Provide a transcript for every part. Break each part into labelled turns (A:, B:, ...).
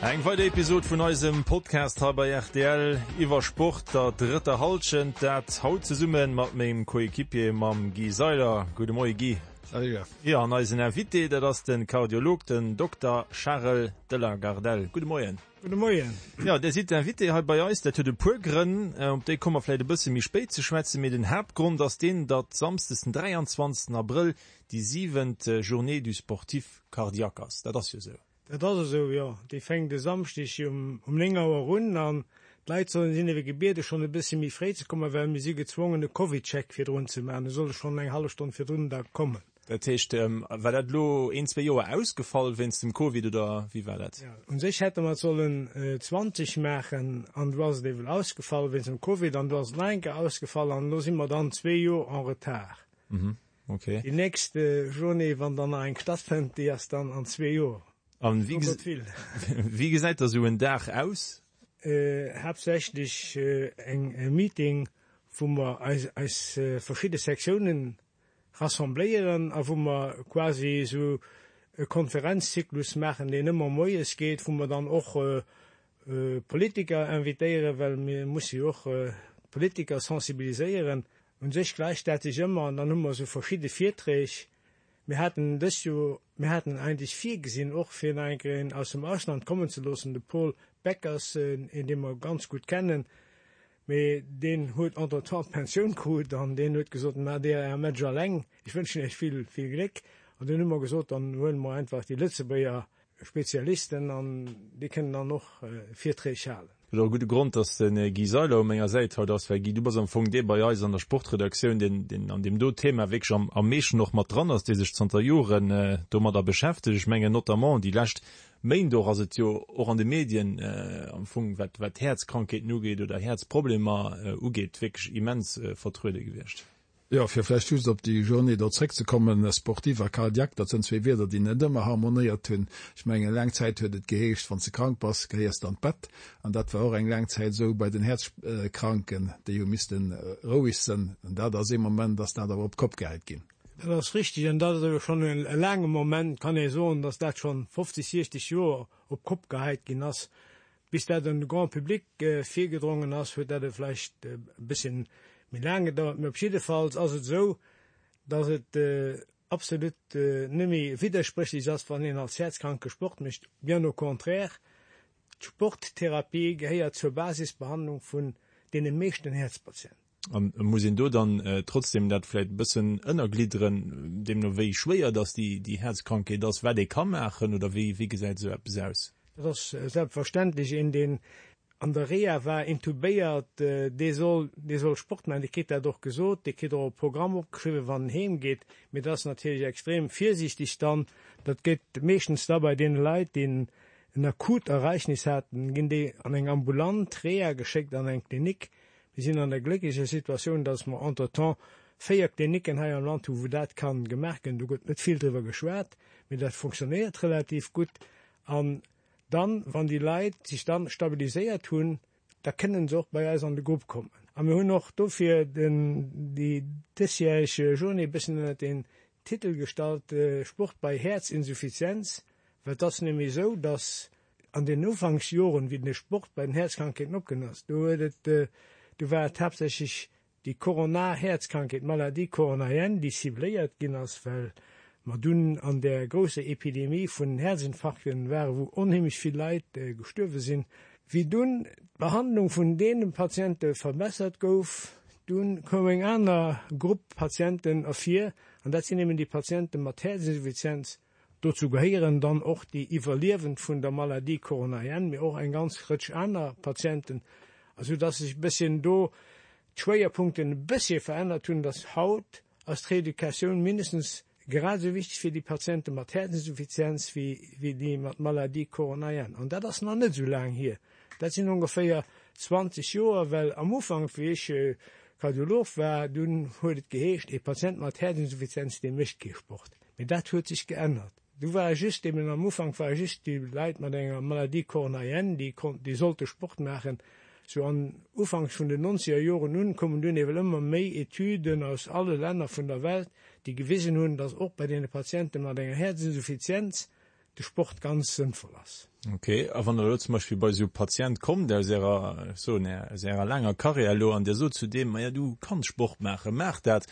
A: Eng weider Episod vun eisem Podcast hei bei rtl iwwer Sport, der drëtter Hallschent. Dat haut zesumme mat mengem Coéquipier, mam Guy Seiler. Gudde Moie Guy.
B: Salut Jeff.
A: Jo, an eisen Invité, dat ass de Kardiolog, den Dokter Charel de la Gardelle. Gudde Moien.
B: Gudde Moien.
A: Jo, Dir sidd Invité hei bei eis. Dat huet e puer Grënn, op déi komme mer vläicht e bësse méi spéit ze schwätzen. Mee den Haaptgrond ass deen, datt samsdes den 23 Abrëll déi siwent Journée du sportif cardiaque ass. Dat ass jo esou.
B: Dat ass esou, jo. Déi fänkt e Samschdeg um 9 Auer un an d'Leit sollen, sinn ewéi gebiede schonn e bësse méi fréi ze kommen, well mir si gezwongen e Covidcheck virdrun ze maachen. E solle schonn eng hallef Stonn virdrun da kommen.
A: Dat heescht, war dat elo een, zwee Joer ausgefall wéinst dem Covid oder wéi war dat?
B: Jo, u sech hätte mer et sollen 20 maachen an du ass et ewell ausgefall wéinst dem Covid an du ass et nach eng Kéier ausgefall an elo si mer dann zwee Joer en retard.
A: Okay.
B: Déi nächst Journée, wann dann nach eng stattfënnt, déi ass dann an zwee Joer.
A: An wéi, wéi gesäit da sou en Dag aus?
B: Haaptsächlech eng e Meeting, wou mer eis, eis verschidde Sektiounen rassembléieren a wou mer quasi esou e Konferenzzyklus maachen, deen ëmmer moies geet, wou mer dann och Politiker invitéieren, well mir musse jo och d'Politiker sensibiliséieren. Un sech gläicht dat sech ëmmer an dann hu mer esou verschidde Virträg. Mir haten dëst Joer, mir haten eigentlech virgesinn och fir nach eng Kéier een aus dem Ausland kommen ze loossen, de Paul Beckers, een dee mer ganz gutt kennen, mee deen huet entretemps d'Pensioun krut an deen huet gesot, Maacht Dir Är Match alleng, ech wënschen Iech vill, vill Gléck. An dunn hu mer gesot, dann huele mer einfach déi Lëtzebuerger Spezialisten an déi kënnen dann och Virträg halen.
A: Et ass och e gudde Grond, dass de Guy Seiler u menger Säit haut ass, well Guy, du bass am Fong dee bei eis an der Sportredaktioun, deen, deen an deem do Thema wierklech am, am meeschten och mat dran ass, dee sech zanter Joren domadder beschäftegt. Ech mengen notamment déi lescht Méint och ass et jo och an de Medien am Fong, wat, wat Häerzkrankheeten ugeet oder Häerzproblemer ugeet, wierklech immens vertruede gewiescht.
C: Jo, fir vläicht just op déi Journée do zréckzekommen, sportif a cardiaque, dat sënn zwee Wierder, déi net ëmmer harmonéiert hunn. Ech mengen, laang Zäit huet et geheescht, wann s de krank bass, gehéiers de an d'Bett. An dat war och eng laang Zäit esou bei den Häerzkranken, déi hu misste roueg sënn. An dat ass ee Moment, ass dat awer op d'Kopp gehäit ginn.
B: Dat ass richtig an dat ass awer schonn e laange Moment, kann ee soen, datt dat schonn 50, 60 Joer op d'Kopp gehäit ginn ass. Bis dat un de Grand public virgedrongen ass, huet dat vläicht e bësschen méi laang gedauert. Mee op jiddefalls ass et esou, datt et absolut net méi widderspréchlech ass, wann een als Häerzkranke Sport mécht. Bien au contraire, d'Sporttherapie gehéiert zur Basisbehandlung vun deene meeschten Häerzpatienten.
A: An muss een do dann trotzdem dat vläit e bëssen ënnerglidderen, deemno wéi schwéier dass déi déi Häerzkrankheet ass, wat ee ka maachen oder wéi wéi gesäit esou eppes aus?
B: Dat ass selbstverständlech. Een deen an der Reha war, intubéiert, dee soll dee soll Sport maachen, dee kritt dat och gesot, dee kritt och e Programm opgeschriwwen, wann en heem geet. Mee dat ass natierlech extrem virsiichteg dann. Dat gëtt meeschtens da bei deene Leit, déi en akut Ereignis haten, ginn déi an eng ambulant Reha geschéckt, an eng Klinik, Mir sinn an der glécklecher Situatioun, dass mer entretemps 4 Klinicken hei am Land hunn, wou dat ka gemaach ginn. Do gëtt net vill driwwer geschwat, mee dat fonctionnéiert relativ gutt. An dann, wann déi Leit sech dann stabiliséiert hunn, da kënnen se och bei eis an de Grupp kommen. A mir hunn och dofir den, déi dësjäreg Journée e bëssen ënnert den Titel gestallt, Sport bei Häerzinsuffizienz, well et ass nämlech esou, dass An den Ufanksjoren, wéi de Sport bei den Häerzkrankheeten opkomm ass, do huet et, do war et haaptsächlech déi koronar Häerzkrankheet, d'Maladie coronarienne, déi cibléiert ginn ass, well mer dunn an där grousser Epidemie vun Häerzinfarkten waren, wou onheemlech vill Leit gestuerwe sinn. Wéi dunn d'Behandlung vun deene Patiente verbessert gouf, dunn koum eng aner Grupp Patienten ervir, an dat sinn eben déi Patiente mat Häerzinsuffizienz, Dozou gehéieren dann och déi Iwwerliewend vun der Maladie coronarienne, mee och eng ganz Rëtsch aner Patienten, esou dass sech e bësschen do d'Schwéierpunkten e bëssche verännert hunn, dass haut ass d'Reeducatioun mindestens grad esou wichteg fir déi Patiente mat Häerzinsuffizienz wéi déi mat Maladie coronarienne. An dat ass nach net esou laang hier, dat sinn ongeféier 20 Joer, well am Ufank, wéi ech Kardiolog war, dunn huet et geheescht, ee Patient mat Häerzinsuffizienz, dee mécht kee Sport. Mee dat huet sech geännert. Du ware just eben, am Ufank ware just déi Leit mat enger Maladie coronarienne, déi konnten, déi sollte Sport maachen. Sou an ufanks vun den nonzeger Joren un koumen dunn ewell ëmmer méi Etüden aus alle Länner vun der Welt, déi gewisen hunn, dass och bei deene Patiente mat enger Häerzinsuffizienz de Sport ganz sënnvoll ass.
A: Ok, a wann Der elo zum Beispill bei esou e Patient kommt aus Ärer, ech soen, aus Ärer laanger Karriär elo an Dir sot zu deem, Maja, du kanns Sport maachen, maach dat,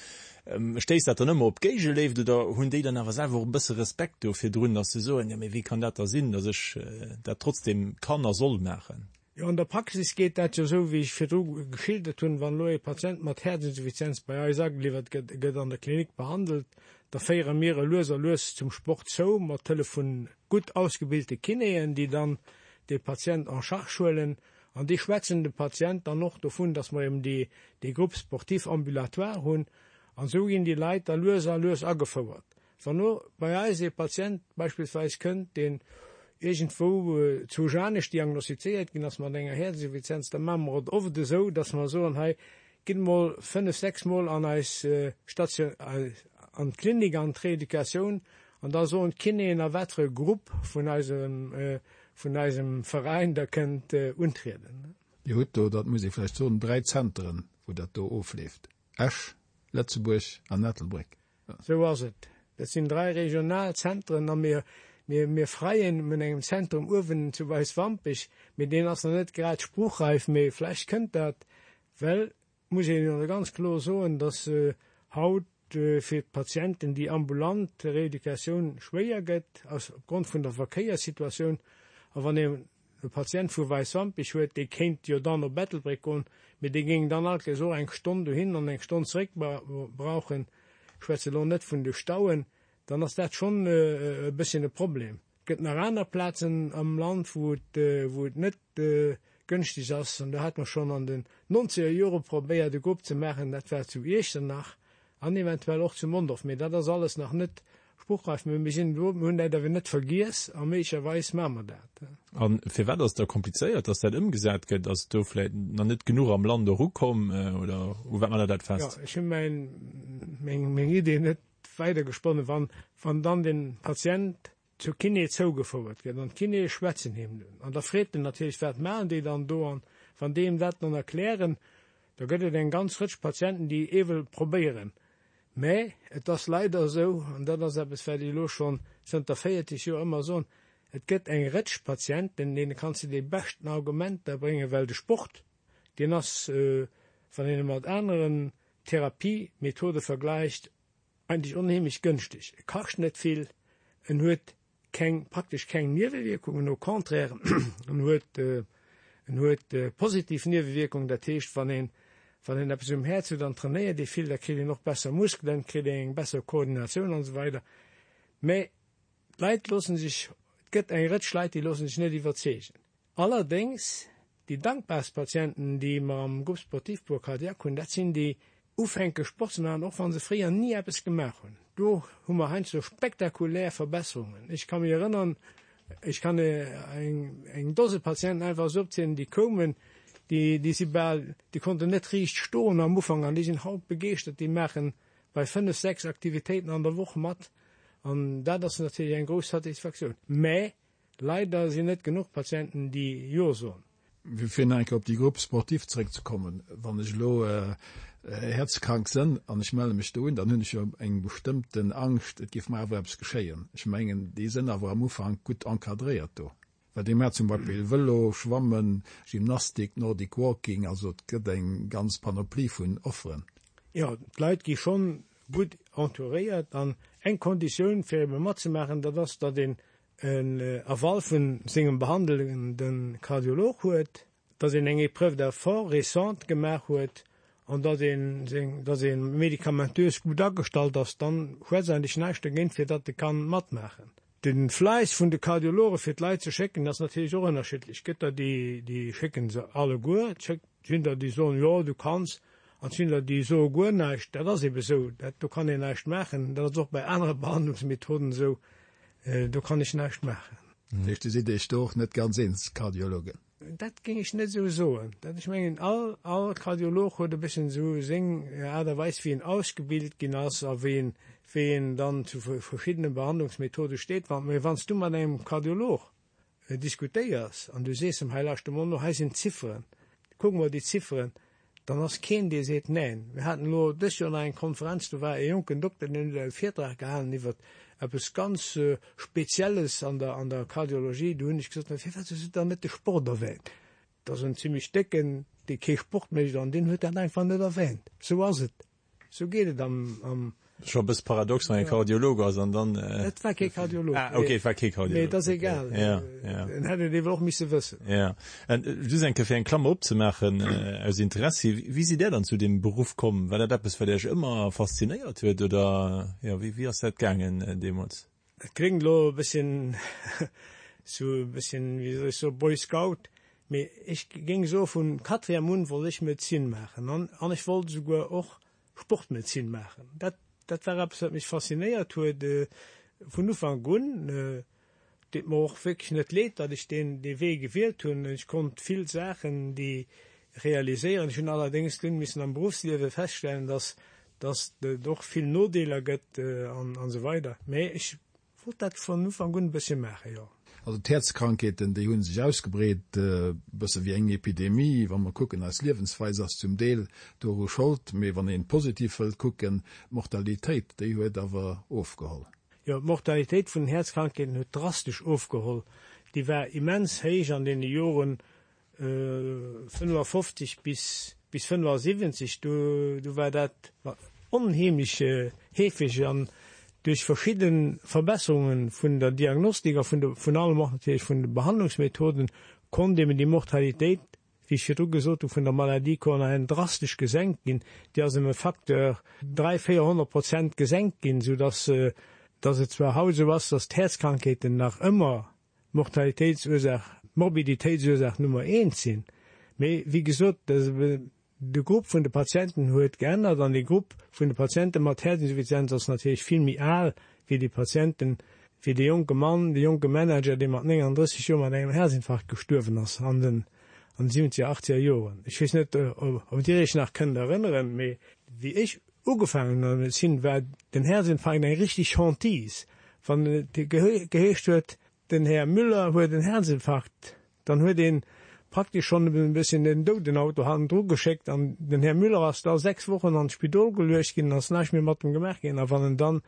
A: stéisst dat dann ëmmer op Géigeléift oder hunn déi dann awer selwer och e bësse Respekt do virdrun, datt se soen, Jo, mee wéi kann dat da sinn, datt ech dat trotzdem kann a soll maachen?
B: Jo, an der Praxis geet dat jo esou, wéi ech virdru geschildert hunn. Wann elo e Patient mat Häerzinsuffizienz bei eis ageliwwert gëtt, e gëtt an der Klinik behandelt, da féiere mir e lues a lues zum Sport zou, mat Hëllef vu gutt ausgebilte Kinéen, déi dann dee Patient en charge huelen. An déi schwätzen dem Patient dann och dovun, dass mer eben déi, dee Groupe sportif ambulatoire hunn. An esou ginn déi Leit da lues a lues agefouert. Wann elo bei eis ee Patient beispillsweis kënnt, deen iergendwou zu Janech diagnostizéiert ginn ass mat enger Häerzinsuffizienz, da maache mer et oft esou, dass mer soen, hei, gitt emol fënnf, sechs Mol an eis Station, an d'Klinik, an d'Reeducatioun, an da soen d'Kinéen, a wat fir e Grupp vun eisem, vun eisem Veräin Der kënnt untrieden.
C: Dir hutt do, dat muss ee vläicht soen, dräi Zenteren, wou dat do ofleeft, Esch, Lëtzebuerg an Ettelbréck.
B: Sou ass et. Dat sinn drai regional Zentren a mir, mir, mir freien un engem Zentrum uewen zu Weiswampech, mee deen ass nach net grad spruchreif, mee vläicht kënnt dat, well, muss een jo ganz kloer soen, dass haut fir d'Patienten déi ambulant Rééducatioun schwéier gëtt, aus opgrond vun der Verkéierssituatioun. A wann ee e Patient vu Weiswampich huet, dee kéint jo dann op Ettelbréck goen, mee dee géing dann alt kéiers och eng Stonn dohin an eng Stonn zeréck brauchen, ech schwätze elo net vun de Stauen, dann ass dat schonn e bësschen e Problem. Et gëtt nach aner Plazen am Land, wou et, wou et net gënschteg ass, an do hate mer schonn an den nonzeger Jore probéiert e Grupp ze maachen, dat war zu Iechternach, An eventuell och zu Mondorf. Mee dat ass alles nach net spruchreif. Mee mir sinn do, mir hunn dat awer net vergiess a méiglecherweis maache mer dat.
A: A firwat ass et da komplizéiert, dass dat ëmgesat gëtt? Ass do vläicht nach net genuch am Land erukomm oder u wat maacht Der dat fest?
B: Jo, ech hu mäin, meng, meng Idee net weidergesponnen. Wann, wann dann de Patient zur Kiné zougefouert gëtt an d'Kinéë schwätzen him dunn an da freet en natierlech, wat maachen déi dann do an wann déi him dat dann erklären, da gëtt et eng ganz Rëtsch Patienten, déi ewell probéieren. Mä et ass leider esou, an dat ass eppes, wat ech elo schonn zënter 40 Joer ëmmer soen, et gëtt eng Rëtsch Patienten, deene kanns de déi beschten Argumenter bréngen, well de Sport, deen ass, wann een e mat aneren Therapiemethode vergläicht, Eigentlech onheemlech gënschteg. E kascht net vill, en huet keng, praktesch keng Niewewierkungen, au contraire, en huet, en huet positiv Niewewierkungen. Dat heescht, wann een, wann een eppes um Häerz huet an trainéiert ee vill, da kritt een och besser Muskelen, kritt een eng besser Koordinatioun an esou weider. Mä d'Leit loosse sech, et gëtt eng Rëtsch Leit, déi loosse sech net iwwerzeegen. Allerdéngs, déi dankbarst Patienten, déi mer am Groupe sportif pour cardiaque hunn, dat sinn déi ufänke Sport ze maachen, och wa se fréier ni eppes gemaach hunn. Do hu mer heiansdo spektakulär Verbesserungen. Ech ka mech erënnern, ech kann eng, eng Dose Patienten einfach esou opzielen, déi koumen, déi, déi si bal, déi konnten net riicht stoen am Ufank an déi sinn haut begeeschtert, déi maache bei fënnef, sechs Aktivitéiten an der Woch mat an dat ass natierlech eng grouss Satisfaktioun. Mä Leider sinn net genuch Patienten déi Jo soen.
C: Fir nach eng Kéier op déi Groupe sportive zeréckzekommen, Wann ech elo häerzkrank sënn an ech melle mech do un, dann hunn ech jo eng bestëmmten Angscht, et géif mer awer eppes geschéien. Ech mengen, déi sënn awer am Ufank gutt encadréiert do. Well déi maachen zum Beispill Vëlo, Schwammen, Gymnastik, Nordic Walking, also et gëtt eng ganz Panoplie vun Offeren.
B: Jo, d'Leit gi schonn gutt entouréiert an eng Konditioun fir ebe matzemaachen, dat ass, datt een en Aval vun sengem behandelende Kardiolog huet, datt een eng Épreuve d'effort récente gemaach huet an datt een seng, datt ee medikamentös gutt agestallt ass, dann schwätzt eigentlech näischt dergéint, fir datt e kann matmaachen. De Fläiss vun de Kardiologe fir d'Leit ze schécken ass natierlech och ënnerschiddlech. Et gëtt der déi, déi schécken se alleguer, et sinn der déi soen, jo du kanns, an et sinn der déi soe guer näischt. Dat ass ebe sou, dat, do kann een näischt maachen. Dat ass och bei anere Behandlungsmethoden esou. Do kann ech näischt maachen.
C: Dat heescht, Dir sidd Iech do och net ganz eens, Kardiologen?
B: Dat géing ech net esou soen. Dat, ech mengen, all, all Kardiolog huet e bëssen esou seng Aart a Weis, wéi en ausgebilt ginn ass a wéi en, wéi en dann zu verschiddene Behandlungsmethode steet. Wann, mee wann s du mat engem Kardiolog diskutéiers an du sees em, hei lauschter mol no, hei sinn d'Zifferen, kuck mol déi Zifferen, dann ass keen, dee seet Neen. Mir haten elo dës Joer nach eng Konferenz, do war e jonken Dokter, deen huet e Virtrag gehalen iwwer. Eppes ganz Spezielles an der, an der Kardiologie. Du hunn ech gesot, Mä firwat hues du dann net de Sport erwähnt? Dat ass en zimmlech Décken, dee kee Sport mécht, an deen huet dat einfach net erwähnt. Sou ass et. Sou geet et am, am.
A: Scho e bësse paradox, wann ee Kardiolog ass an dann.
B: Et war kee Kardiolog.
A: Ah, okay, et war kee Kardiolog.
B: Mee et ass egal.
A: Ja, ja.
B: En hätt et ewell och misse wëssen.
A: Ja. An just eng Kéier fir eng Klammer opzemaachen, aus Interessi, Wéi sidd Där dann zu deem Beruff komm? War dat eppes, wat Iech ëmmer faszinéiert huet oder, jo, wéi, wéi ass dat gaangen deemools?
B: Et kléngt elo e bësschen sou e bësschen, wéi soll ech soen, Boy Scout, mee ech géing soe vun Quatrième un wollt ech Medezin maachen an an ech wollt esouguer och Sportmedezin maachen. Dat dat war eppes wat mech faszinéiert huet vun Ufank un. Deet mer och wierklech net leed, datt ech deen dee Wee gewielt hunn. Ech konnt vill Saachen déi realiséieren. Ech hunn allerdéngs dunn missen am Beruffsliewe feststellen, datt datt et och vill Nodeeler gëtt an an esou weider. Mee ech wollt dat vun Ufank un e bëssche maachen, jo.
C: Also d'Häerzkrankheeten, déi hu sech ausgebreet, e bësse wéi eng Epidemie. Wa mer kucken, eis Liewensweis ass zum Deel doru Schold. Mee wann een positiv wëllt kucken, d'Mortalitéit, déi huet awer ofgeholl.
B: Jo, d'Mortalitéit vun den Häerzkrankheeten huet drastesch ofgeholl. Déi war immens héich an deene Joren 55 bis 75. Do do war dat onheemlech heefeg an duerch verschidde Verbesserunge vun der Diagnostik a vun de vun allem och natierlech vun de Behandlungsmethoden konnt eben déi Mortalitéit wéi ech virdru gesot hu, vun der Maladie coronarienne drastesch gesenkt ginn. Déi ass ëm e Facteur 3, 400 Prozent gesenkt ginn, soudass dass et zwar haut esou ass, dass d'Häerzkrankheeten nach ëmmer d'Mortalitéitsursaach, d'Morbiditéitsursaach Nummer eent sinn, mee wéi gesot, de Grupp vun de Patienten huet geännert an dee Grupp vun de Patiente mat Häerzinsuffizienz ass natierlech vill méi al wéi déi Patienten, wéi dee jonke Mann, dee jonke Manager, dee mat 39 Joer mat engem Häerzinfarkt gestuerwen ass an den an den siwwenzeger, achtzeger Joren. Ech weess net, ob Dir Iech nach kënnt erënneren, mee wéi ech ugefaangen hunn an der Medezin, war den Häerzinfarkt eng richtig Hantise. Wann et geheescht huet, Den Här Müller huet en Herzinfarkt. Dann huet een praktesch schonn e bësschen den Doudenauto hannendru geschéckt an den Här Müller ass da 6 Wochen an d'Spidol geluecht ginn an ass näischt méi mat em gemaach ginn. A wann en dann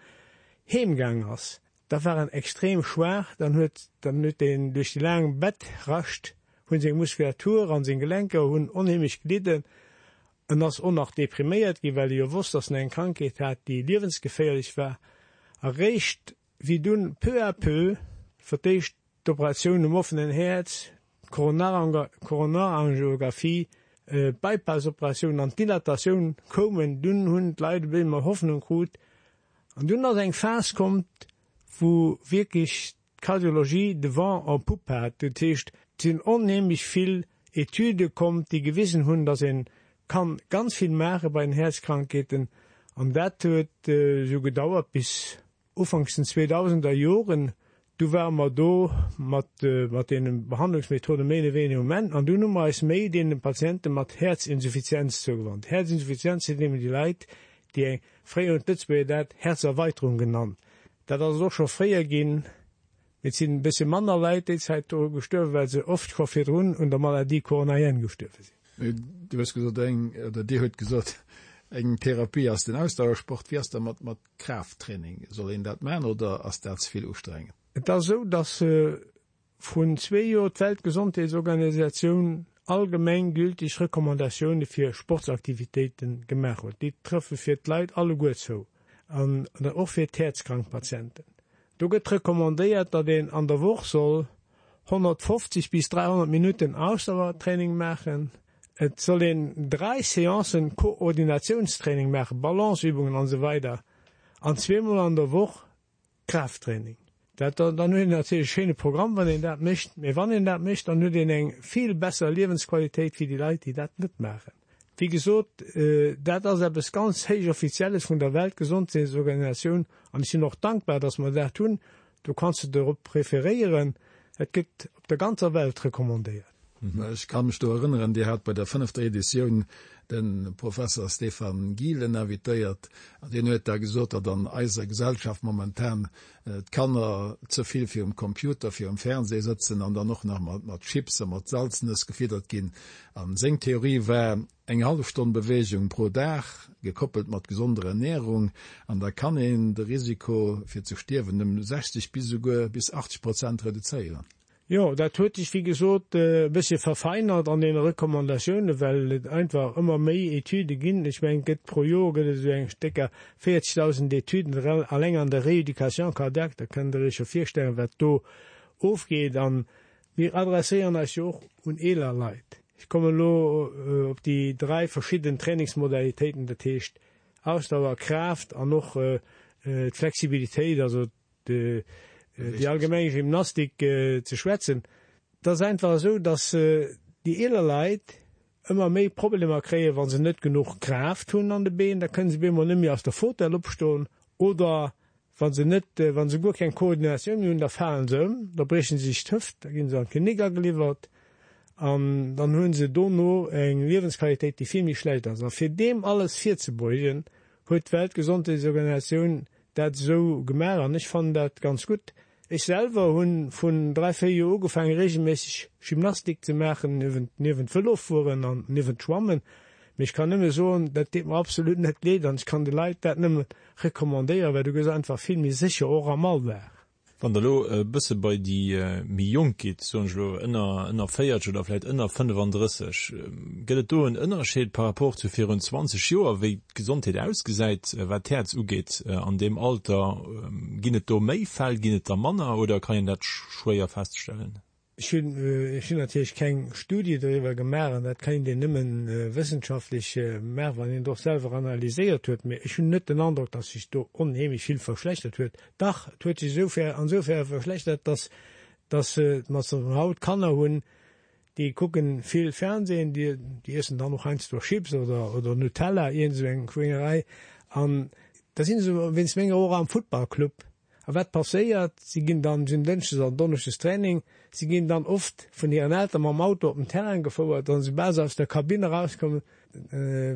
B: heem gaang ass, da war en extrem schwaach, dann huet dann huet deen duerch déi laang Bettrascht hunn seng Muskulatur an seng Gelenker hunn onheemlech gelidden. En ass och nach depriméiert ginn, well e jo wosst, datt en eng Krankheet hat, déi liewensgeféierlech war. A réischt Wéi dunn peu à peu fir d'éischt d'Operatioun um offenen Häerz, d'Koronarangiographie, d'Bypass-Operatioun an d'Dilatatioun koumen, dunn hunn d'Leit e bëssi méi Hoffnung krut. An dunn ass eng Phas kommt, wou wierklech d'Kardiologie de vent en poupe hat. Dat heescht, et sinn onheemlech vill Etüde kommt, déi gewisen hunn, datt ee kann ganz vill maache bei den Häerzkrankheeten. An dat huet esou gedauert bis Ufanks den zweedausender Joren, du ware mer do mat mat deene Behandlungsmethode méi oder wéiniger um Enn an dunn hu mer eis méi deene Patiente mat Häerzinsuffizienz zougewannt. Häerzinsuffizienz sinn eben déi Leit, déi eng, fréier hunn d'Lëtzebuerger dat Häerzerweiterung genannt, dat ass et och scho fréier ginn, mee et sinn e bëssche manner Leit déi Zäit doru gestuerwen, well se oft scho virdrun un der Maladie coronarienne gestuerwe sinn.
C: Du hues gesot eng, oder Dir hutt gesot, eng Therapie ass den Ausdauersport. Wéi ass da mat mat Kraafttraining, soll een dat man oder ass dat ze vill ustrengend?
B: Et ass esou, datt vrun zwee Joer d'Weltgesondheetsorganisatioun allgemeng gültig Recommandatioune fir Sportsaktivitéite gemaach huet. Déi trëffe fir d'Leit alleguer zou an och fir d'häerzkrank Patienten. Do gëtt recommandéiert, datt een an der Woch soll 150 bis 300 Minutten Ausdauertraining maachen. Et soll een 3 Seancen Koordinatiounstraining maachen, Balanceübungen an esou weider an zweemol an der Woch Kraafttraining. Dat dann huet een natierlech e schéine Programm wann een dat mécht, mee wann een dat mécht, dann huet een eng vill besser Liewensqualitéit wéi déi Leit déi dat net maachen. Wéi gesot, dat ass eppes ganz héich Offizielles vun der Weltgesondheetsorganisatioun an ech sinn och dankbar, datt mer dat hunn. Do kanns de dorop referéieren. Et gëtt op der ganzer Welt recommandéiert.
C: Ech ka mech do erënneren, Dir hat bei der fënnefter Editioun de Professer Stefan Gielen invitéiert an deen huet da gesot, datt an eiser Gesellschaft momentan d'Kanner ze vill virum Computer, virum Fernseh sëtzen an dann och nach mat Chips a mat Salznëss gefiddert ginn. A seng Theorie war, Eng hallef Stonn Beweegung pro Dag, gekoppelt mat gesonder Ernärung, an da kann een de Risiko fir ze stierwen ëm 60 bis esouguer bis 80 Prozent reduzéieren.
B: Jo, dat huet sech wéi gesot e bëssche verfeinert an deene Recommandatiounen, well et einfach ëmmer méi Etüde ginn. Ech mengen, et gëtt pro Joer gëtt et esou eng stécker 40.000 Etüden alleng an der Rééducation cardiaque. Da kënnt Der Iech jo virstellen, wat do ofgeet. A mir adresséieren eis jo och un eeler Leit. Ech kommen elo op déi dräi verschidden Trainingsmodalitéiten, dat heescht Ausdauer, Kraaft an och d'Flexibilitéit, also déi allgemeng Gymnastik ze schwätzen. Et ass einfach esou, datt déi eeler Leit ëmmer méi Problemer kréien, wa se net genuch Kraaft hunn an de Been, da kënne se bemol net méi aus der Fauteuil opstoen oder wa se net, wa se guer keng Koordinatioun méi hunn, da falen se ëm, da brieche se sech d'Hëft, da gi se an d'Klinik ageliwwert an dann hu se dono eng Liewensqualitéit, déi vill méi schlecht ass. A fir deem alles virzebeugen, huet d'Weltgesondheetsorganisatioun dat esou gemaach an ech fannen dat ganz gutt. Ech selwer hu vun 3, 4 Joer ugefaangen regelméisseg Gymnastik ze maachen, niewent Vëlofueren an niewent Schwammen. Mee ech kann nëmme soen, dat deet mer absolut net leed an ech kann de Leit dat nëmme recommandéieren, well du gëss einfach vill méi sécher, och am Alldag.
A: Wann Der elo e bësse bei déi méi Jonk gitt, soen ech elo ënner, ënner 40 oder vläicht ënner 35, gëtt et do en Ënnerscheed par rapport zu virun 20 Joer, wéi d'Gesondheet ausgesäit, wat d'Häerz ugeet an deem Alter? Ginn et do méi Fäll, ginn et der manner oder kann een dat schwéier feststellen?
B: Ech hunn ech hunn natierlech keng Studie doriwwer gemaach, an dat kéint een nëmme wëssenschaftlech maachen, wann een et och selwer analyséiert huet, mee ech hunn net den Androck, datt sech do onheemlech vill verschlechtert huet. Dach, et huet sech esoufer ansoufern verschlechtert, datt datt mer haut Kanner hunn, déi kucken vill Fernsehen, déi déi iessen dann och heiansdo Chips oder oder Nutella, iergend esou eng Schwéngerei, an da si se wéinst menger och am Futtballclub. A wat passéiert? Si ginn dann, si hunn dënschdes an donneschdes Training, si ginn dann oft vun hiren Elteren mam Auto op den Terrain gefouert an soubal se aus der Kabinn erauskommen,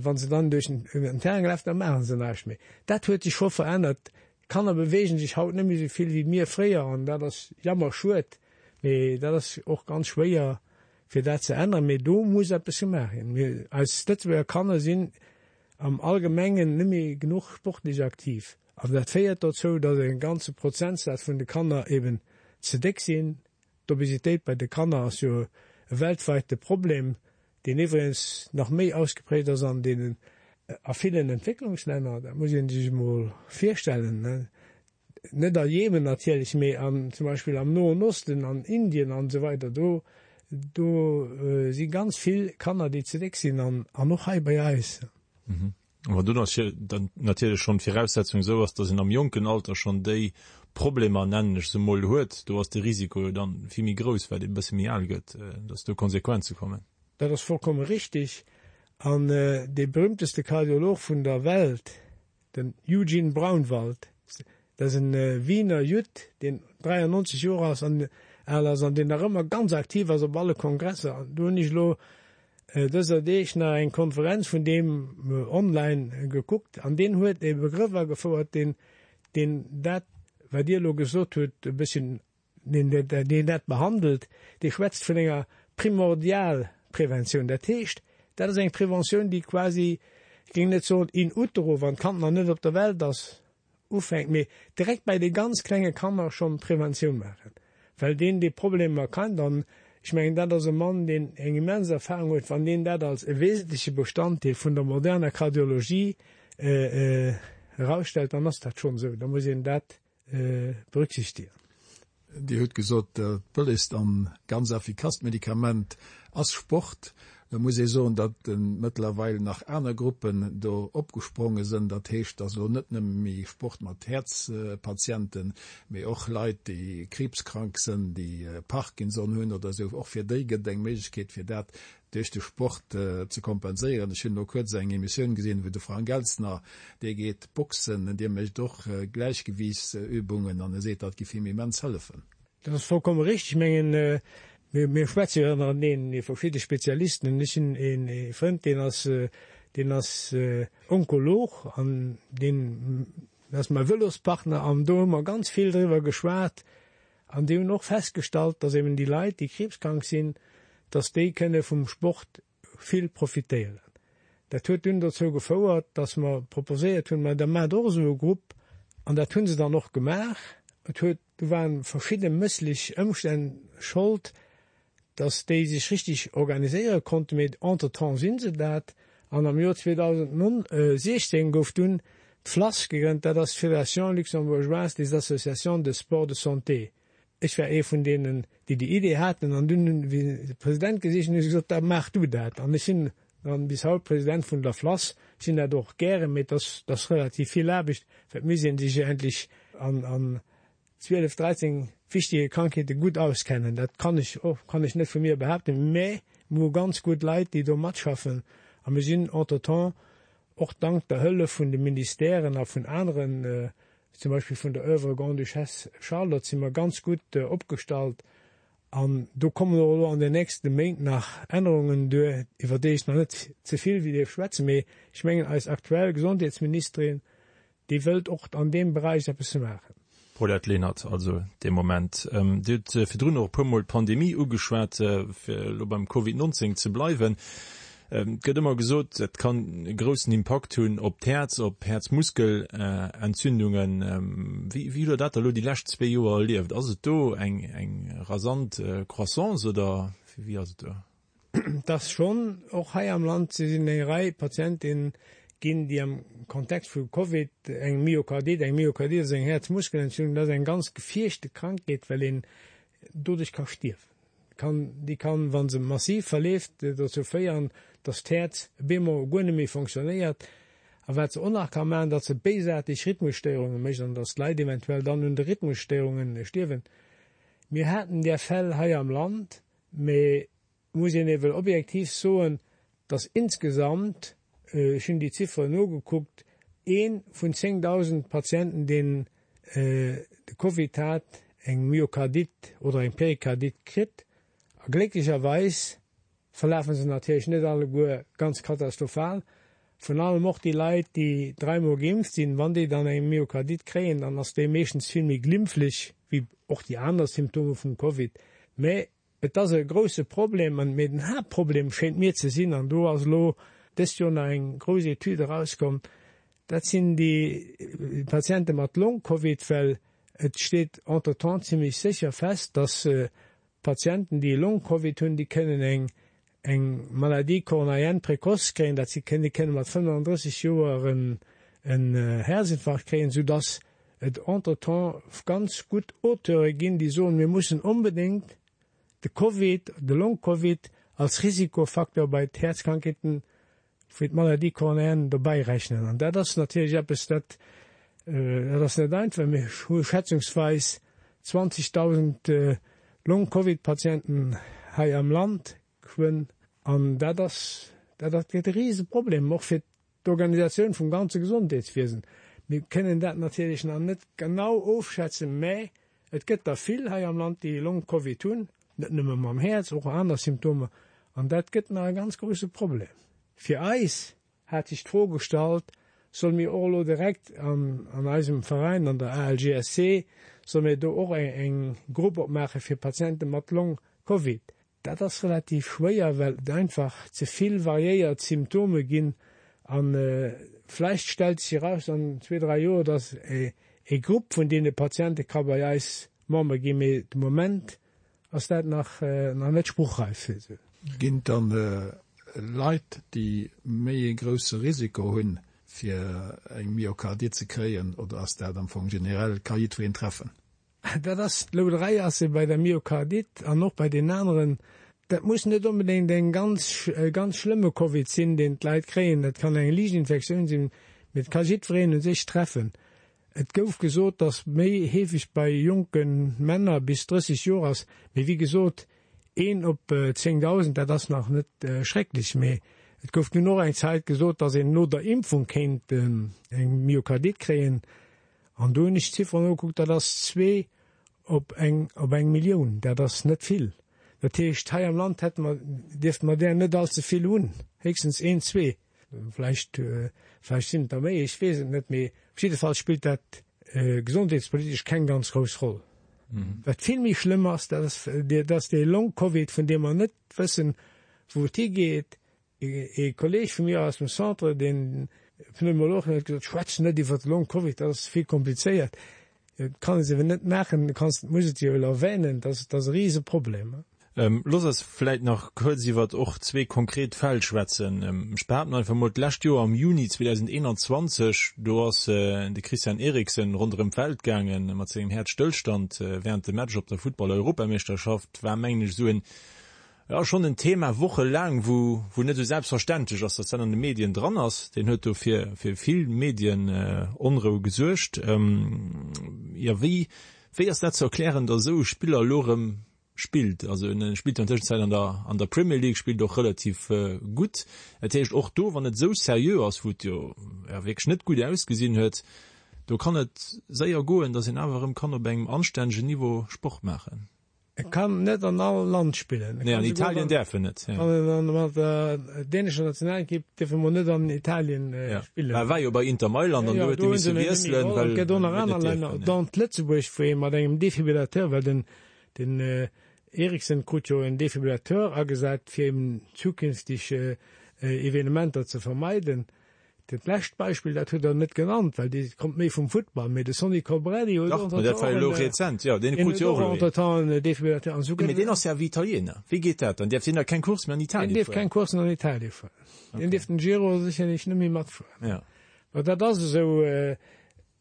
B: wa se dann duerch den Terrain gelaf, da maache se näischt méi. Dat huet sech scho verännert. D'Kanner beweegen sech haut net méi esou vill wéi mir fréier an dat ass jammerschued, mee dat ass och ganz schwéier fir dat ze änneren. Mee do muss eppes gemaach ginn. Mir, eis Lëtzebuerger Kanner sinn am Allgemengen net méi genuch sportlech aktiv. An dat féiert dozou, datt e ganze Prozentsaz vun de Kanner eben ze déck sinn. D'Obesitéit bei de Kanner ass jo e weltweite Problem, deen iwwregens nach méi ausgeprägt ass an deenen a villen Entwécklungslänner. Dat muss ee sech emol virstellen. Net a Jemen natierlech, mee an zum Beispill am Noen Osten, an Indien an esou weider. Do do si ganz vill Kanner, déi ze déck sinn an och hei bei eis.
A: Wann do dann natierlech schonn d'Viraussetzung esou ass, datt een am jonken Alter schonn déi Problemer, nennen ech se emol, huet, do ass de Risiko jo dann vill méi grouss, wat ee bësse méi al gëtt, datt do Konsequenze kommen.
B: Dat ass vollkomme richtig. An dee berühmteste Kardiolog vun der Welt, Den Eugene Braunwald, dat ass e Wiener Judd, deen 93 Joer ass an al ass an deen nach ëmmer ganz aktiv ass op alle Kongresser. An do hunn ech elo dëser Deeg nach eng Konferenz vun deem online gekuckt an deen huet e Begrëff agefouert, deen, deen dat, wat Dir elo gesot hutt, e bësschen deen dat behandelt, dee schwätzt vun enger Primordialpreventioun. Dat heescht, dat ass eng Preventioun, déi quasi, ech géing net soen in utero, wann d'Kand nach net op der Welt ass, ufänkt, mee direkt bei de ganz klenge Kanner schonn Preventioun maachen, well deen déi Problemer kennt. An ech mengen, dat ass e Mann, deen eng immens Erfahrung huet. Wann deen dat als e wesentleche Bestanddeel vun der moderner Kardiologie erausstellt, dann ass dat schonn esou. Da muss een dat berücksichtigen.
C: Dir hutt gesot, dat bëllegst an ganz effikasst Medikament ass Sport. Da muss ee soen, datt mëttlerweil nach aner Gruppen do opgespronge sënn. Dat heescht, datt elo net nëmme méi Sport mat Häerzpatienten, mee och Leit, déi kriibskrank sënn, déi Parkinson hunn oder esou, och fir déi gëtt et eng Méiglechkeet, fir dat duerch de Sport ze kompenséieren. Ech hunn elo kuerz eng Emissioun gesinn, wou de Frank Elstner, dee geet boxen, dee mécht och Gläichgewiichtsübungen an e seet, dat giff him immens hëllefen.
B: Dat ass vollkomme richteg. Ech mengen, Mir, mir schwätze jo ënnereneen, mir verschidde Spezialisten, an ech hunn een ee Frënd, deen ass, deen ass Onkolog an deen ass mäi Vëlospartner an do hu mer ganz vill driwwer geschwat an déi hunn och festgestallt, datt eben déi Leit, déi kriibskrank sinn, datt déi kënne vum Sport vill profitéieren. Dat huet dunn dozou gefouert, dass mer proposéiert hunn, ma da maacht och esou e Grupp. An dat hu se dann och gemaach. Et huet, do waren verschidde mësslech Ëmstänn Schold, dass déi sech richtig organiséiere konnten, mee entretemps si se dat. An am Joer 2016 gouf dunn d'FLASS gegrënnt, dat ass d'Fédération luxembourgeoise des associations de sport de santé. Ech war ee vun deenen, déi déi Idee haten an dunn hunn, wéi se de President gesicht hunn, hu se gesot, da maach du dat. An ech sinn dann bis haut President vun der FLASS, sinn dat och gären, mee et ass, et ass relativ vill Aarbecht, well et misst ee sech endlech an, an 12, 13 wichtige Krankheete gutt auskennen. Dat kann ech och, kann ech net vu mir behaapten, mä mir hu ganz gutt Leit, déi do matschaffen a mir sinn entretemps och dank der Hëllef vun de Ministèren a vun aneren, zum Beispill vun der Oeuvre Grande-Duchesse Charlotte, si mer ganz gutt opgestallt. An do kommen och elo an den nächste Méint nach Ännerungen duer, iwwer déi ech nach net ze vill dierf schwätzen. Mee ech mengen, eis aktuell Gesondheetsministerin, déi wëllt och an deem Beräich eppes maachen.
A: Paulette Lenert, Also dee Moment. Dir hutt virdrun och e puermol d'Pandemie ugeschwat, fir elo beim Covid 19 ze bleiwen. Et gëtt ëmmer gesot, et kann e groussen Impakt hunn op d'Häerz, op Häerzmuskelentzündungen. Wéi hutt Der dat elo déi lescht zwee Joer erlieft? Ass et do eng rasant Croissance oder wéi ass et do?
B: Et ass schonn och hei am Land sinn eng Rei Patienten ginn, déi am Kontext vu Covid eng Myokardit, eng Myokardit ass eng Häerzmuskelentzündung, dat ass eng ganz gefierchte Krankheet, well een doduerch ka stierwen. Kann, déi kann, wa se massiv verleeft, dozou féieren, datt d'Häerz op eemol guer net méi fonctionnéiert. A wat se och nach ka maachen, datt se béisaarteg Rhythmusstéierunge mécht an datt d'Leit eventuell dann un de Rhythmusstéierunge stierwen. Mir haten där Fäll hei am Land, mee et muss een ewell objektiv soen, datt insgesamt, ech hunn déi Zifferen nogekuckt, ee vun 10.000 Patienten, deen de Covid hat, eng Myokardit oder eng Perikardit kritt. A glécklecherweis verlafe se natierlech net alleguer ganz katastrophal. Vrun allem och déi Leit, déi dräimol geimpft sinn, wann déi dann eng Myokardit kréien, dann ass déi meeschtens vill méi glimpflech wéi och déi aner Symptome vum Covid. Mä Et ass e grousse Problem, an, mee den Haaptproblem schéint mir ze sinn, an do ass elo dëst Joer nach eng grouss Etüd erauskomm, dat sinn déi Patiente mat Long-Covid, well et steet entretemps zimlech sécher fest, dass Patienten, déi Long-Covid hunn, déi kënnen eng eng Maladie coronarienne précoce kréien, dat si kënnen, déi kënne mat 35 Joer en en Häerzinfarkt kréien, soudass et entretemps ganz gutt Auteure ginn, déi soen, mir mussen onbedéngt de Covid, de Long-Covid als Risikofacteur bei d'Häerzkrankheeten wéi d'Maladie coronarienne dobäi rechnen. An dat ass natierlech eppes, dat dat ass net einfach. Mir hu schätzungsweis 20.000 Long-Covid-Patienten hei am Land geschwënn. An dat ass, dat ass gëtt e Riseproblem, och fir D'Organisatioun vum ganze Gesondheetswiesen, mir kënnen dat natierlech nach net genau ofschätzen, mä et gëtt der vill hei am Land, déi Long-Covid hunn, net nëmme mam Häerz, och aner Symptomer, an dat gëtt nach e ganz grousse Problem. Fir eis hat sech d'Fro gestallt, solle mir och elo direkt an eisem Veräin, an der ALGSC, solle mir do och eng Grupp opmaache fir Patiente mat Long-Covid? Dat ass relativ schwéier, well et einfach ze vill variéiert Symptome ginn. A vläicht stellt sech eraus an zwee, dräi Joer, datt e Grupp vun deene Patiente ka bei eis Member ginn, mee de Moment ass dat nach net spruchreif.
C: Ginn et dann Leit, déi méi e grousse Risiko hunn, fir eng Myokardite ze kréien, oder ass dat am Fong generell, ka jiddwereen treffen?
B: Dat ass d'Louderei ass se bei der Myokardite an och bei den aneren. Dat muss net onbedéngt eng ganz, e ganz schlëmme Covid sinn, deen d'Leit kréien. Dat kann eng liicht Infektioun sinn, mee et ka jiddwereen u sech treffen. Et gouf gesot, dass méi heefeg bei jonke Männer bis 30 Joer ass, mee wéi gesot, een op 10.000, dat ass nach net schrecklech. Mee et gouf dunn och eng Zäit gesot, dass een no der Impfung kéint eng Myokardite kréien. An do hunn ech d'Zifferen nogekuckt, dat ass zwee op eng, op eng Millioun. Dat ass net vill. Dat heescht, hei am Land hätte mer, dierfte mer där net allze vill hunn, héchstens een, zwee. Vläicht, vläicht sinn et der méi, ech weess et net, mee op jidde Fall spillt dat gesondheetspolitesch keng ganz grouss Roll. Wat vill méi schlëmm ass, dat ass, dat ass dee Long-Covid, vun deem mer net wëssen, wou et higeet. Ee Kolleeg vu mir aus dem Centre, deen Pneumolog, huet gesot, Schwätz net iwwer de Long-Covid, dat ass vill komplizéiert. Et kann ee se net maachen, du kanns, muss et jo erwänen, dat ass e Riseproblem.
A: Looss eis vläit nach kuerz iwwert och zwee konkret Fäll schwätzen. Ech behaapten einfach mol, d'lescht Joer am Juni 2021, do ass de Christian Eriksen ronderëm d'Welt gaange mat sengem Häerzstëllstand wärend dem Match op der Futtball-Europameeschterschaft. War, mengen ech, esou en Jo, schonn en Thema wochelaang, wou wou net esou selbstverständlech ass, datt dat an de Medien dran ass. Deen huet do fir fir vill Medienonrou gesuergt. Jo, wéi wéi ass dat ze erklären, datt esou e Spiller elo erëm spillt? Also en spillt jo an Tëschenzäit an der an der Premier League, spillt och relativ gutt. Dat heescht och do, wann et esou seriö ass, wou et jo jo wierklech net gutt ausgesinn huet, do kann et séier goen, datt een awer erëm kann op engem anstännegen Niveau Sport maachen.
B: E kann net an all Land spillen.
A: Nee, an Italien däerf en net.
B: An mat der dänescher Nationalekipp dierf e mol net an Italien spillen.
A: Mä e war jo bei Inter Mailand an do huet e misse wiesselen,
B: well. Et gëtt och nach aner Länner, dont Lëtzebuerg, wou ee mat engem Defibrillateur, well den den Eriksen krut jo en Defibrillateur agesat, fir eben zukünfteg Evenementer ze vermeiden. Dat lescht Beispill, dat hutt Der net genannt, well dee kommt méi vum Futtball, mee de Sonny Colbrelli huet
A: och
B: entretemps en Defibrillateur
A: an esou. Mee deen ass jo awer Italiener. Wéi geet dat dann? Däerf deen da keng Course méi an Italien
B: fueren? Deen dierf keng Coursen an Italien fueren. Deen dierf den Giro sécherlech net méi matfueren. Mä dat ass esou.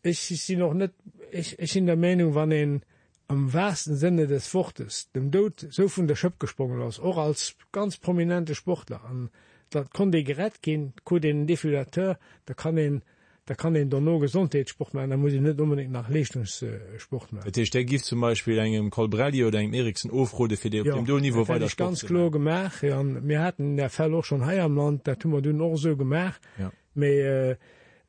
B: Ech sinn och net, ech sinn der Meenung, wann een am wahrsten Sinne des Wortes dem Doud sou vun der Schëpp gesprongen ass, och als ganz prominente Sportler, an da konnt ee gerett ginn, krut een en Defibrillateur, da kann een, da kann een dono Gesondheetssport maachen, da muss een net onbedéngt nach Leeschtungssport maachen.
A: Dat heescht, Där giff zum Beispill engem Colbrelli oder engem Eriksen ofrode fir déi op deem do Niveau weider
B: Sport ze maachen? Jo, dat hätt ech ganz kloer gemaach. An mir haten där Fäll och schonn hei am Land, dat hu mer dunn och esou gemaach. Mee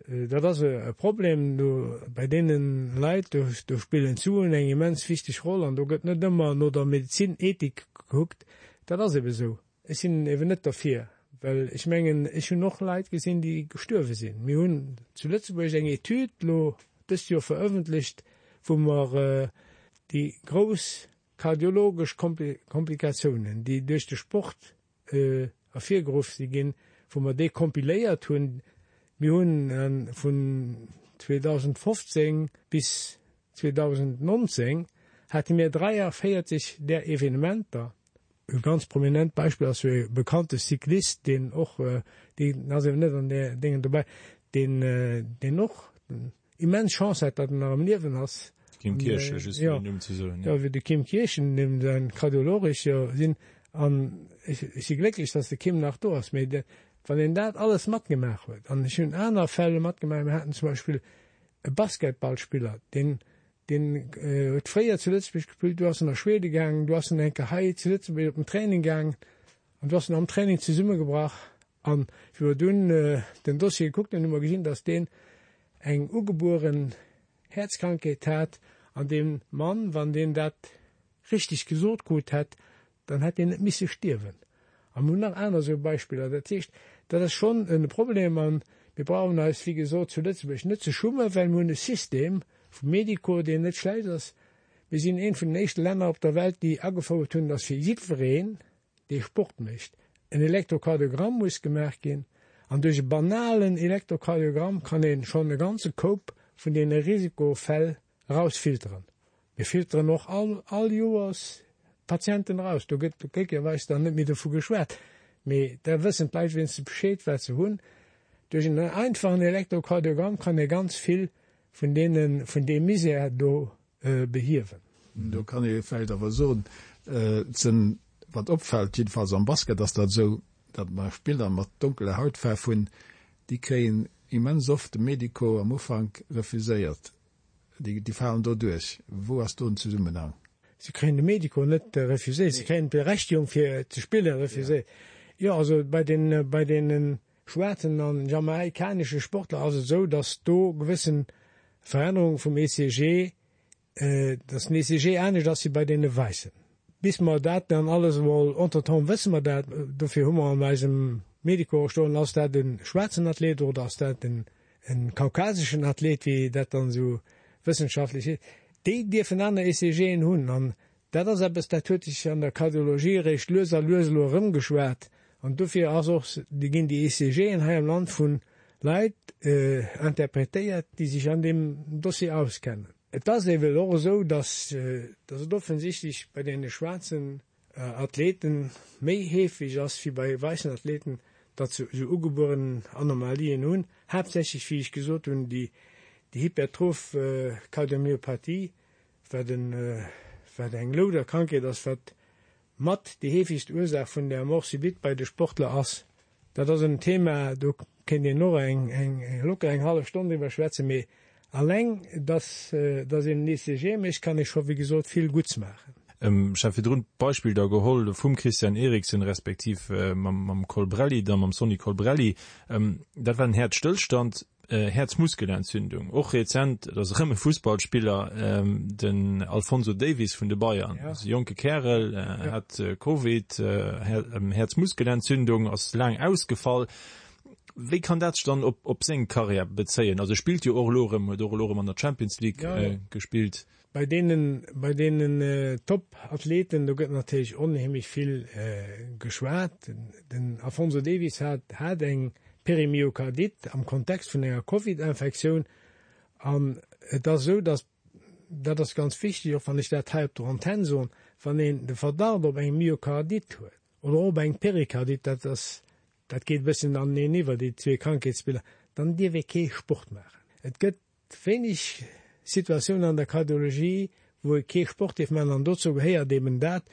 B: dat ass e Problem do bei deene Leit, do spillen d'Suen eng immens wichteg Roll an do gëtt net ëmmer no der Medezinethik gekuckt. Dat ass ebe sou. Ech sinn eben net derfir, well ech mengen, ech hunn och Leit gesinn, déi gestuerwe sinn. Mir hunn zu Lëtzebuerg eng Etüd elo dëst Joer verëffentlecht, wou mer déi grouss kardiologesch Komplikatiounen, déi duerch de Sport ervirgeruff si ginn, wou mer déi kompiléiert hunn. Mir hunn vun 2015 bis 2019 hate mir 43 där Evenementer. E ganz prominent Beispill ass jo e bekannte Cyclist, deen och, deen ass eben net an där Déngen dobäi, deen, deen och immens Chance hat, datt en nach am Liewen ass.
A: Kim Kirchen, just fir den Numm ze soen.
B: Jo, wéi de Kim Kirchen, deem säin Kardiolog ech jo sinn. An ech si glécklech, datt de Kim nach do ass. Mee wann een dat alles matgemaach huet, an ech hunn aner Fäll matgemaach, mir haten zum Beispill e Basketballspiller, deen, deen huet fréier zu Lëtzebuerg gespillt, du ass en a Schwede gaangen, du ass en eng Kéier hei zu Lëtzebuerg op den Training gaangen an du ass en am Training zesummegebrach. An wéi mer dunn den Dossier gekuckt hunn, hu mer gesinn, dass deen eng ugebueren Häerzkrankheet hat. An dee Mann, wann deen dat richteg gesot krut hätt, dann hätt deen net misse stierwen. A mir hunn nach aner esou Beispiller. Dat heescht, dat ass schonn e Problem. A mir brauchen eis, wéi gesot, zu Lëtzebuerg net ze schummen, well mir hunn e System vum Médico, deen net schlecht ass. Mir sinn eent vun den éischte Länner op der Welt, déi agefouert hunn, dass fir jiddwereen, dee Sport mécht. En Elektrokardiogramm muss gemaach ginn, an duerch e banalen Elektrokardiogramm kann ee schonn e ganze Koup vun deene Risikofäll erausfilteren. Mir filteren och all all Joers Patienten eraus. Do gëtt glécklecherweis dann net méi dovu geschwat, mee da wëssen d'Leit wéinstens Bescheed, wat se hunn. Duerch en einfachen Elektrokardiogramm kann ee ganz vill vun deene vun deem Misär do behiewen.
C: Do kann ee vläicht awer soen, et sinn, wat opfält, jiddefalls am Basket ass dat esou, datt mer Spiller mat donkeler Hautfaarf hunn, déi kréien immens oft de Medico am Ufank refuséiert, déi falen do duerch. Wou ass do den Zesummenhang?
B: Si kréien de Medico net refuséiert, si kréien d'Berechtigung fir ze spille refuséiert. Jo, also bei den, bei deene schwaarzen an jamaikanesche Sportler ass et esou, datt do gewëssen Verännerunge vum ECG, datt den ECG anescht ass wéi bei deene Wäissen. Bis mer dat dann alles emol, entretemps wësse mer dat, dofir hu mer an eisem Medico och stoen, ass dat e schwaarzen Athlet oder ass dat en kaukaseschen Athlet, wéi dat dann esou wëssenschaftlech heescht, déi dierfen aner ECGen hunn. An dat ass eppes, dat huet sech an der Kardiologie eréischt lues a lues elo erëmgeschwat. An dofir ass och, ginn déi ECGen hei am Land vu Leit interpretéiert, déi sech an deem Dossier auskennen. Et ass ewell och esou, dass et offensichtlech bei deene schwaarzen Athleten méi heefeg ass wéi bei weissen Athleten, datt se esou ugebueren Anomalien hunn, haaptsächlech, wéi ech gesot hunn, déi hypertroph Kardiomyopathie, wat eng louder Krankheet ass, wat mat déi heefegst Ursaach vun der Mort subite bei de Sportler ass. Dat ass en Thema, do kéint een och eng, eng, locker eng hallef Stonn driwwer schwätzen, mee alleng, dass, dass een en ECG mécht, kann ee scho, wéi gesot, vill Gutts maachen.
A: Ech hat virdrun d'Beispill da geholl vum Christian Eriksen respektiv mam, mam Colbrelli, da mam Sonny Colbrelli. Dat war en Häerzstëllstand. Häerzmuskelentzündung. Och rezent, et ass erëm e Fussballspiller, den Alphonso Davies vun de Bayern, ass e jonke Kärel, hat Covid, Häerzmuskelentzündung, ass laang ausgefall. Wéi kann dat sech dann op seng Karriär bezéien? Also e spillt jo och elo erëm, huet och elo erëm an der Champions League gespillt.
B: Bei deenen, bei deenen Top-Athleten, do gëtt natierlech onheemlech vill geschwat. Den Alphonso Davies hat, hat eng Perimyokardite am Kontext vun enger Covid-Infektioun. An et ass esou, datt, dat ass ganz wichteg, och wann ech dat hei op der Antenn soen, wann een de Verdacht op eng Myokardite huet oder och op eng Perikardite, dat ass, dat geet e bësschen aneneen iwwer, déi zwee Krankheetsbiller, dann dierf ee kee Sport maachen. Et gëtt Wéineg Situatiounen an der Kardiologie, wou ee kee Sport dierf maachen, an dozou gehéiert eben dat.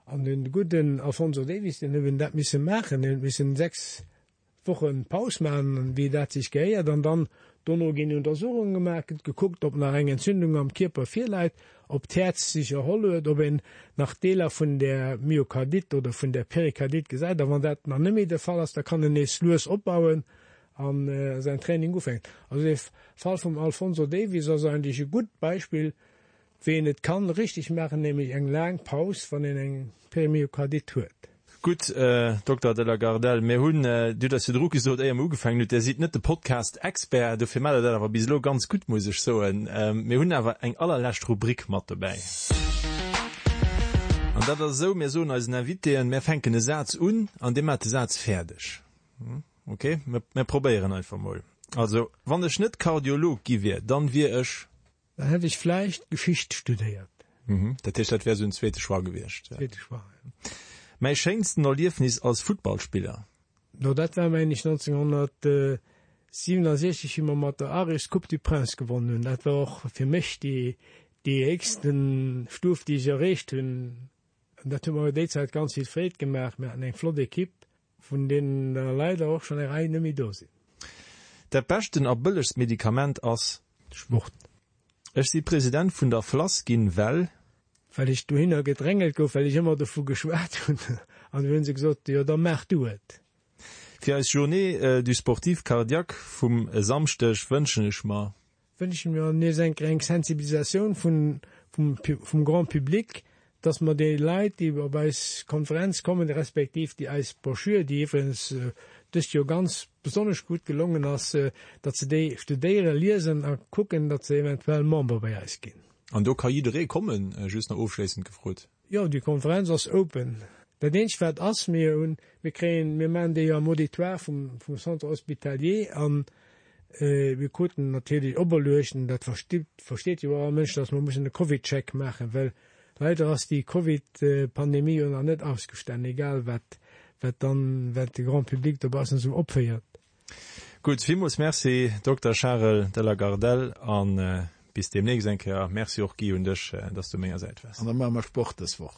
B: An de gudden Alphonso Davies, deen huet eben dat misse maachen, deen huet missen 6 Woche Paus maachen, wéi dat sech gehéiert, an dann dono ginn Untersuchunge gemaach, gëtt gekuckt, ob nach eng Entzündung am Kierper virläit, ob d'Häerz sech erholl huet, ob een nach Deeler vun där Myokardite oder vun där Perikardite gesäit. A wann dat nach net méi de Fall ass, da kann en nees lues opbauen an säin Training ufänkt. Also dee Fall vum Alphonso Davies ass eigentlech e gutt Beispill, wéi een et kann richteg maachen, nämlech eng laang Paus, wann een eng Perimyokardite huet.
A: Gutt, Dokter de la Gardelle, mir hunn, Dir hutt eis virdru gesot, éier mer ugefaangen hutt, Dir sidd net de Podcast-Expert, dofir maacht Der dat awer bis elo ganz gutt, muss ech soen. Mir hunn awer eng allerlescht Rubrik mat dobäi. An dat ass esou, Mir soen eisen Invitéen, mir fänken e Saz un an Dir maacht de Saz fäerdeg. Ok, mir probéieren einfach mol. Also, wann ech net Kardiolog gi wier, dann wier ech.
B: Dann hätt ech vläicht Geschicht studéiert.
A: Mhm, dat heescht, dat wär esou en zweete Choix gewiescht.
B: Zweete Choix, jo.
A: Mäi schéinsten Erliefnis als Futtballspiller?
B: No, dat war mengen ech 1967, wéi mer mat der Aris d'Coupe du Prince gewonnen hunn. Dat war och fir mech déi, déi héchsten Stuf, déi ech erreecht hunn. An dat huet mer déi Zäit ganz vill Freed gemaach. Mir haten eng flott Equipe. Vun deenen der leider och schonn eng Rei net méi do sinn.
A: Dat beschten a bëllegst Medikament ass.
B: Sport.
A: Ech si President vun der FLASS ginn, well.
B: Well ech dohinner gedrängelt gouf, well ech ëmmer dovu geschwat hunn. An du hunn se gesot, jo da maach du et.
A: Fir eis Journée du sportif cardiaque vum e Samschdeg wënschen ech mer.
B: Wënschen mir nees eng eng Sensibilisatioun vun vum vum Grand public, dass mer déi Leit, déi op eis Konferenz kommen, respektiv déi eis Broschür, déi iwwregens dëst Joer ganz besonnesch gutt gelongen ass, datt se déi studéieren, liesen a kucken, datt se eventuell Member bei eis ginn.
A: An do ka jidderee kommen? Just nach ofschléissend gefrot.
B: Jo, déi Konferenz ass open. Dat eenzegt wat ass, mir hunn, mir kréien, mir maachen déi jo am Auditoire vum, vum Centre hospitalier an mir kruten natierlech operluecht, an dat versteet, versteet jo och all Mënsch, datt mer mussen e Covidcheck maachen, well leider ass déi Covid-Pandemie jo nach net ausgestanen, egal wat, wat dann, wat de Grand public dobaussen esou opféiert.
A: Gutt, villmools Merci Dokter Charel de la Gardelle a bis deemnächst eng Kéier. Merci och Guy un dech, dass du u menger Säit waars.
C: An da maache mer Sport dës Woch.